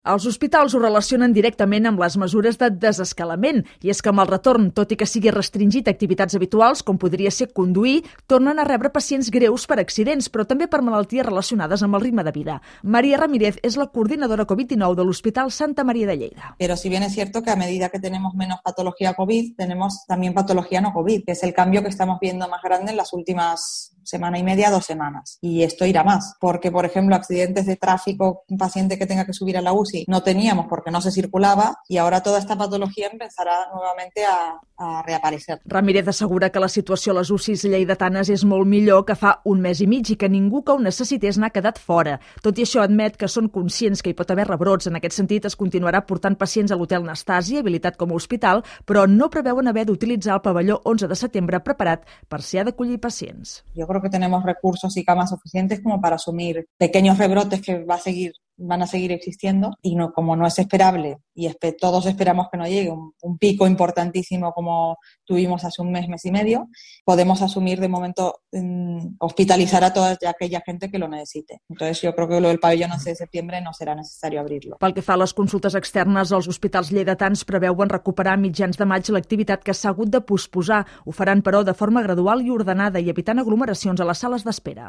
Els hospitals ho relacionen directament amb les mesures de desescalament, i és que amb el retorn, tot i que sigui restringit a activitats habituals, com podria ser conduir, tornen a rebre pacients greus per accidents, però també per malalties relacionades amb el ritme de vida. María Ramírez és la coordinadora COVID-19 de l'Hospital Santa María de Lleida. Pero si bien es cierto que a medida que tenemos menos patología COVID, tenemos también patología no COVID, que es el cambio que estamos viendo más grande en las últimas semana y media, 2 semanas. Y esto irá más, porque, por ejemplo, accidentes de tráfico, un paciente que tenga que subir a la UCI, no teníamos porque no se circulava, y ahora toda esta patología empezará nuevamente a reaparecer. Ramírez assegura que la situació a les UCIs lleidatanes és molt millor que fa un mes i mig i que ningú que ho necessités n'ha quedat fora. Tot i això, admet que són conscients que hi pot haver rebrots. En aquest sentit, es continuarà portant pacients a l'Hotel Nastàsia, habilitat com a hospital, però no preveuen haver d'utilitzar el pavelló 11 de setembre preparat per si ha d'acollir pacients. Yo creo que tenemos recursos y camas suficientes como para asumir pequeños rebrotes que van a seguir existiendo, y no, como no es esperable y todos esperamos que no llegue un pico importantísimo como tuvimos hace un mes y medio, podemos asumir de momento hospitalizar a toda aquella gente que lo necesite. Entonces yo creo que lo del pabellón 11 de septiembre no será necesario abrirlo. Pel que fa a les consultes externes, els hospitals lleidatans preveuen recuperar a mitjans de maig l'activitat que s'ha hagut de posposar. Ho faran, però, de forma gradual i ordenada i evitant aglomeracions a les sales d'espera.